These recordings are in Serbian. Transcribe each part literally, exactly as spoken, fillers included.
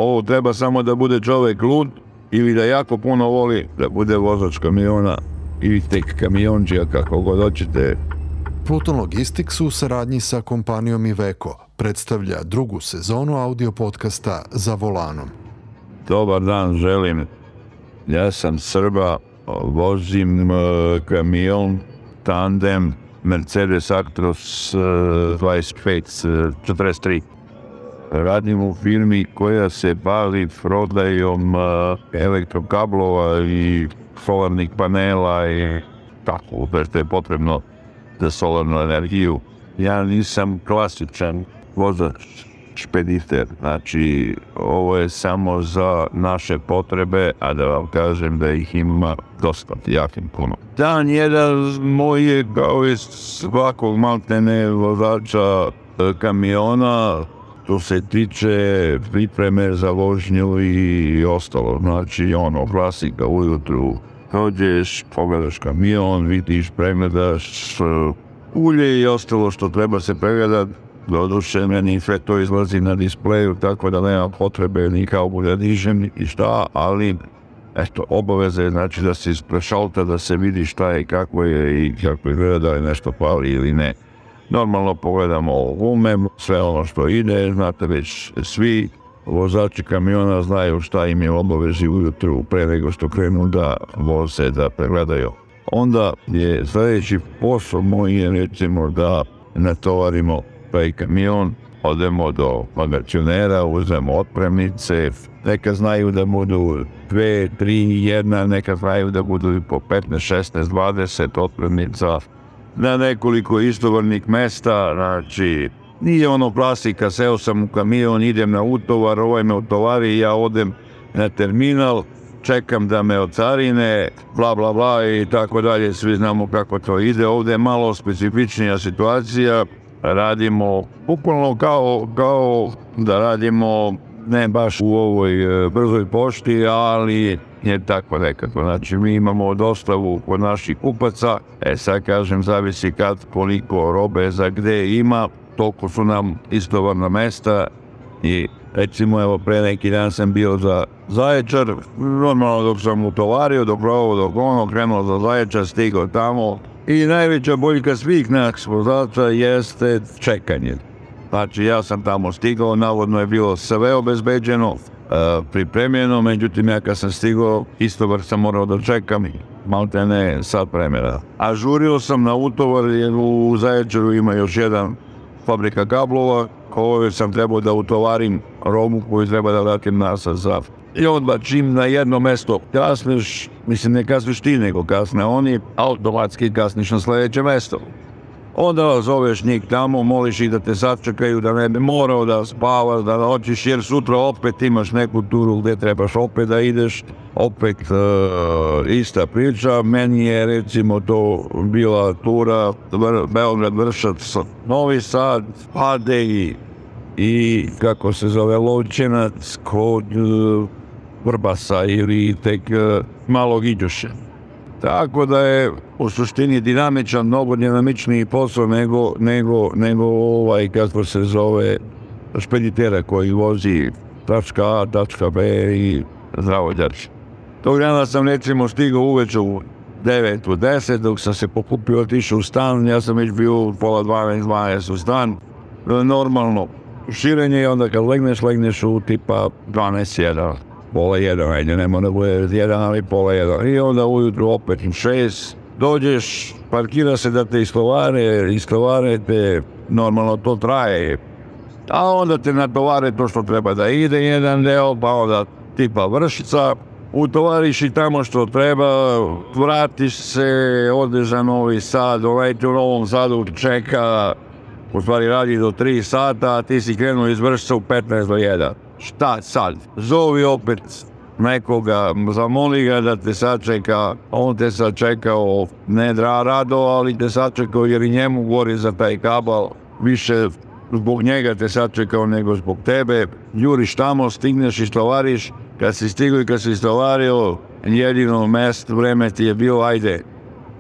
ovo treba samo da bude čovek lud ili da jako puno voli da bude vozač kamiona ili tek kamionđija, kako god hoćete. Pluton Logistics u saradnji sa kompanijom Iveco predstavlja drugu sezonu audio podcasta Za volanom. Dobar dan želim. Ja sam Srba, vozim uh, kamion tandem Mercedes Actros uh, dvadeset pet četrdeset tri. Radim u firmi koja se bavi prodajom uh, elektrokablova i solarnih panela i tako, što je potrebno za solarnu energiju. Ja nisam klasičan vozač špediter, znači ovo je samo za naše potrebe, a da vam kažem da ih ima dosta, jakim puno. Dan jedan moj je kao i svakog maltene vozača kamiona, to se tiče pripreme za vožnju i ostalo, znači ono, klasika ujutru, dođeš, pogledaš kamion, vidiš, pregledaš ulje i ostalo što treba se pregledati. Doduše, meni sve to izlazi na displeju, tako da nema potrebe ni kao da dižem ni šta, ali eto, obaveza je znači da se isprešalta, da se vidi šta je i kako je i kako izgleda, da li nešto pali ili ne. Normalno pogledamo gume, sve ono što ide, znate već svi vozači kamiona znaju šta im je obavezi ujutru pre nego što krenu da voze, da pregledaju. Onda je sljedeći posao moj je recimo da natovarimo taj kamion, odemo do magacionera, uzmemo otpremnice, neka znaju da budu dve, tri, jedna, neka znaju da budu i po petnaest, šesnaest, dvadeset otpremnica na nekoliko istovarnih mesta, znači nije ono klasika, seo sam u kamion, idem na utovar, ovaj me utovari, ja odem na terminal, čekam da me ocarine, bla bla bla i tako dalje, svi znamo kako to ide. Ovdje je malo specifičnija situacija, radimo bukvalno kao, kao da radimo ne baš u ovoj e, brzoj pošti, ali je tako nekako. Znači mi imamo dostavu kod naših kupaca, e sad kažem zavisi kad, koliko robe za gde ima, toliko su nam istovarna mesta i recimo evo pre neki dan sam bio za Zaječar, normalno dok sam utovario, dok ovo, dok ono, krenuo za Zaječar, stigao tamo i najveća boljka svih nas vozača jeste čekanje. Znači ja sam tamo stigao, navodno je bilo sve obezbeđeno, e, pripremljeno, međutim ja kad sam stigao istovar sam morao da čekam, malte ne sat vremena. A žurio sam na utovar jer u Zaječaru ima još jedan fabrika kablova koju sam trebao da utovarim robu koju treba da vratim nazad za. I onda čim na jedno mesto kasniš, mislim ne kasniš ti nego kasne oni, automatski kasniš na sljedeće mesto. Onda zoveš njih tamo, moliš ih da te sačekaju, da ne bi morao da spavaš, da hoćeš jer sutra opet imaš neku turu gdje trebaš opet da ideš, opet uh, ista priča. Meni je recimo to bila tura Beograd-Vršac, Novi Sad, Padej i kako se zove Lovćenac kod uh, Vrbasa ili tek uh, Malog Iđoša. Tako da je u suštini dinamičan, mnogo dinamičniji posao nego, nego, nego ovaj, kako se zove, špeditera koji vozi tačka A, tačka B i zdravo đači. Tog dana sam recimo stigao uveče u devet u deset, dok sam se pokupio, otišao u stan, ja sam već bio u pola dvanaest, dvanaest u stan. Normalno širenje je onda kad legneš, legneš u tipa dvanaest jedan. Pola jedan, ajde, ne mora bude jedan, ali pola jedan. I onda ujutru opet u šest, dođeš, parkira se da te istovare, istovare te, normalno to traje. A onda te natovare to što treba da ide jedan deo, pa onda tipa Vršica, utovariš i tamo što treba, vratiš se, odeš za Novi Sad, ovaj u Novom Sadu čeka, u stvari radi do tri sata, a ti si krenuo iz Vršica u petnaest do jedan. Šta sad? Zovi opet nekoga, zamoli ga da te sačeka, on te sačekao, ne rado, ali te sačekao jer i njemu gori za taj kabal, više zbog njega te sačekao nego zbog tebe, juriš tamo, stigneš i stovariš, kad si stigao i kad si stovario, jedino mest, vreme ti je bilo, ajde,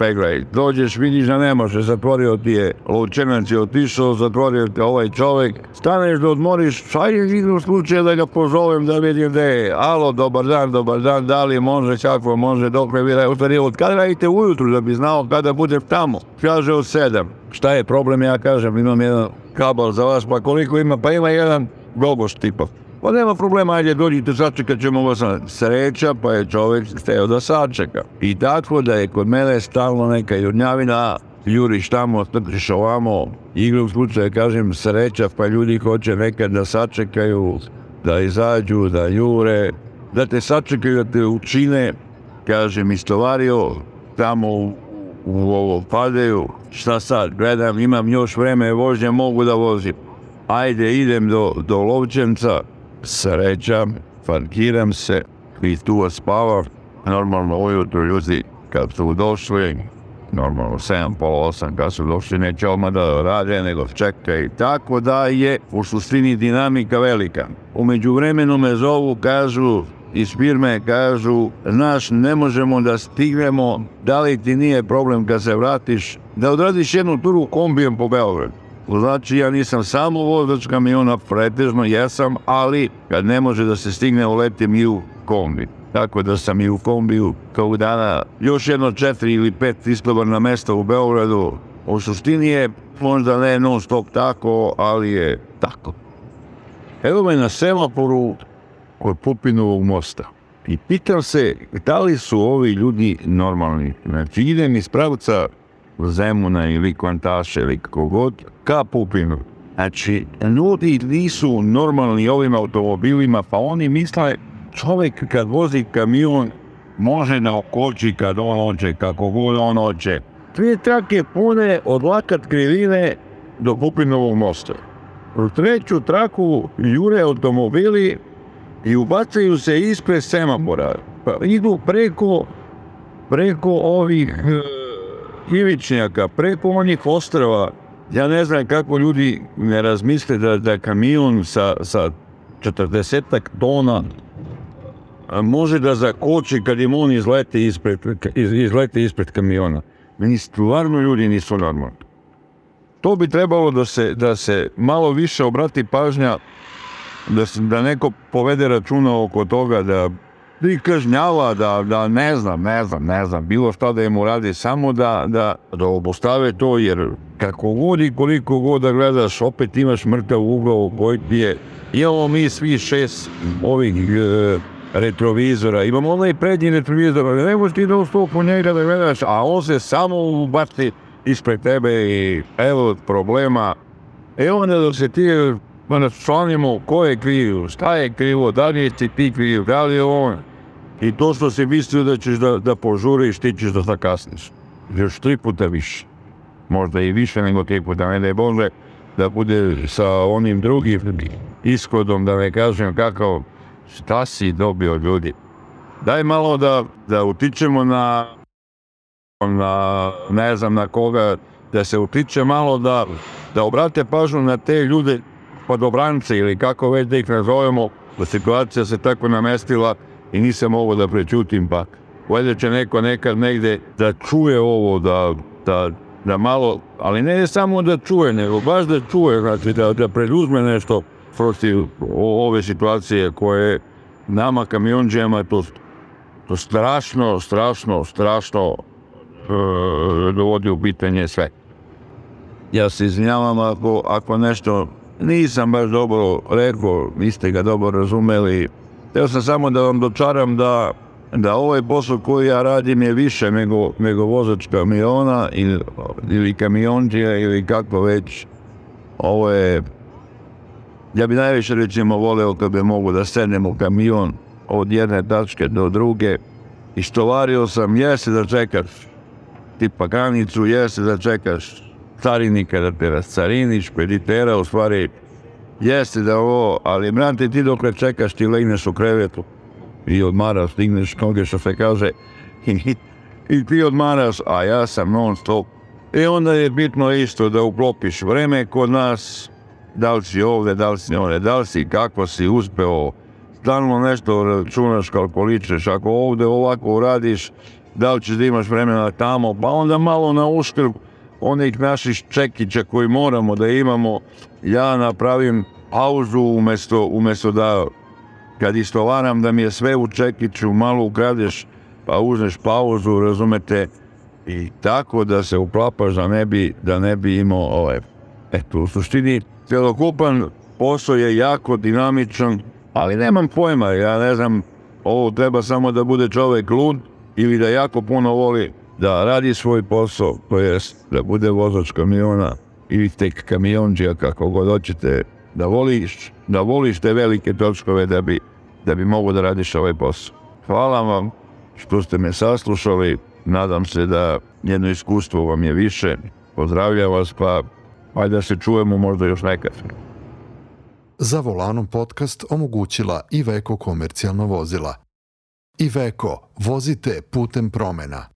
peglaj. Dođeš, vidiš da ne može, zatvorio ti je, lučenac je otišao, zatvorio ti ovaj čovek, staneš da odmoriš, šta je vidio slučaja da ga pozovem da vidim da je, alo, dobar dan, dobar dan, da li može, kako može, dok me vira, u stvari, od kada radite ujutru da bi znao kada budem tamo? Kaže od sedam. Šta je problem, ja kažem, imam jedan kabel za vas, pa koliko ima, pa ima jedan globus tipa. Pa nema problema, ajde dođite, sačekat ćemo vas na sreća, pa je čovjek hteo da sačeka. I tako da je kod mene stalno neka jurnjavina, juriš tamo, trčiš ovamo, igru u slučaju, kažem, sreća, pa ljudi hoće nekad da sačekaju, da izađu, da jure, da te sačekaju, da te učine, kažem, istovario, tamo u, u ovo padaju, šta sad, gledam, imam još vreme vožnje, mogu da vozim. Ajde, idem do, do Lovćenca, sreća, parkiram se i tu spavam. Normalno ujutro ljudi kad su došli, normalno sedam, pola osam kad su došli, neće odmah da rade, nego čekaj. Tako da je u suštini dinamika velika. U međuvremenu me zovu, kažu, iz firme kažu, znaš, ne možemo da stignemo, da li ti nije problem kad se vratiš, da odradiš jednu turu kombijem po Beogradu. Znači, ja nisam samo vozač kamiona, pretežno jesam, ali kad ne može da se stigne, uletim i u kombi. Tako da sam i u kombiju kao dana još jedno četiri ili pet istovarna mesta u Beogradu. U suštini je možda ne non stop tako, ali je tako. Evo me na semaforu kod Pupinovog mosta i pitam se da li su ovi ljudi normalni. Znači, idem iz pravca Zemuna ili Kvantaše ili kako god, ka Pupinu. Znači, ljudi nisu normalni ovim automobilima, pa oni misle čovjek kad vozi kamion može da okoči kad on hoće, kako god on hoće. Dvije trake pune od lakat krivine do Pupinovog mosta. U treću traku jure automobili i ubacaju se ispred semafora. Pa idu preko, preko ovih ivičnjaka, preko onih ostrava. Ja ne znam kako ljudi ne razmisle da, da kamion sa, sa četrdesetak tona može da zakoči kad im on izlete ispred, iz, izlete ispred kamiona. Meni stvarno ljudi nisu normalni. To bi trebalo da se, da se malo više obrati pažnja, da, se, da neko povede računa oko toga, da i kažnjava, da, da ne znam, ne znam, ne znam, bilo šta da im uradi, samo da, da, da obostave to, jer kako god i koliko god da gledaš, opet imaš mrtav ugao koji ti je. Imamo mi svi šest ovih e, retrovizora, imamo onaj prednji retrovizor, ali ne možeš ti da ustopu njega da gledaš, a on se samo ubaci ispred tebe i evo problema. E onda da se ti članimo ko je krivo, šta je krivo, da li je ti kriv, da li je on. I to što si mislio da ćeš da, da požuriš, ti ćeš da zakasniš. Još tri puta više. Možda i više nego tri puta, ne da je Bože da bude sa onim drugim ishodom, da ne kažem kakav, šta si dobio ljudi. Daj malo da, da utičemo na, na, ne znam na koga, da se utiče malo da, da obrate pažnju na te ljude, podobrance ili kako već da ih nazovemo, da situacija se tako namestila i nisam ovo da prećutim, pa valjda će neko nekad negde da čuje ovo, da, da, da malo, ali ne samo da čuje, nego baš da čuje, znači da, da preduzme nešto protiv ove situacije koje nama kamionđijama to, to strašno, strašno, strašno e, dovodi u pitanje sve. Ja se izvinjavam ako, ako nešto nisam baš dobro rekao, niste ga dobro razumeli. Htio sam samo da vam dočaram da, da ovaj posao koji ja radim je više nego, nego vozač kamiona ili, ili kamionđija ili kako već. Ovo je, ja bi najviše recimo voleo kad bi mogu da sednem u kamion od jedne tačke do druge. Istovario sam, jeste da čekaš tipa granicu, jeste da čekaš carinika da te rascariniš, špeditera, u stvari jeste da ovo, ali brate ti dok ne čekaš ti legneš u krevetu i odmaraš, stigneš noge što se kaže i, i ti odmaraš, a ja sam non stop. I onda je bitno isto da uklopiš vreme kod nas, da li si ovde, da li si ovde, da li si, kako si uspeo, stalno nešto računaš, kalkuličeš, ako ovde ovako uradiš, da li ćeš da imaš vremena tamo, pa onda malo na uštrb onih naših čekića koji moramo da imamo, ja napravim pauzu umjesto, umjesto da kad istovaram da mi je sve u čekiću, malo ukradeš, pa uzmeš pauzu, razumete, i tako da se uklapaš da ne bi, da ne bi imao ovaj. Eto, u suštini, celokupan posao je jako dinamičan, ali nemam pojma, ja ne znam, ovo treba samo da bude čovek lud ili da jako puno voli da radi svoj posao, to jest da bude vozač kamiona ili tek kamionđija, kako god hoćete, da voliš, da voliš te velike točkove da bi, da bi mogo da radiš ovaj posao. Hvala vam što ste me saslušali, nadam se da jedno iskustvo vam je više, pozdravljam vas, pa ajde da se čujemo možda još nekad. Za volanom podcast omogućila Iveco komercijalna vozila. Iveco, vozite putem promena.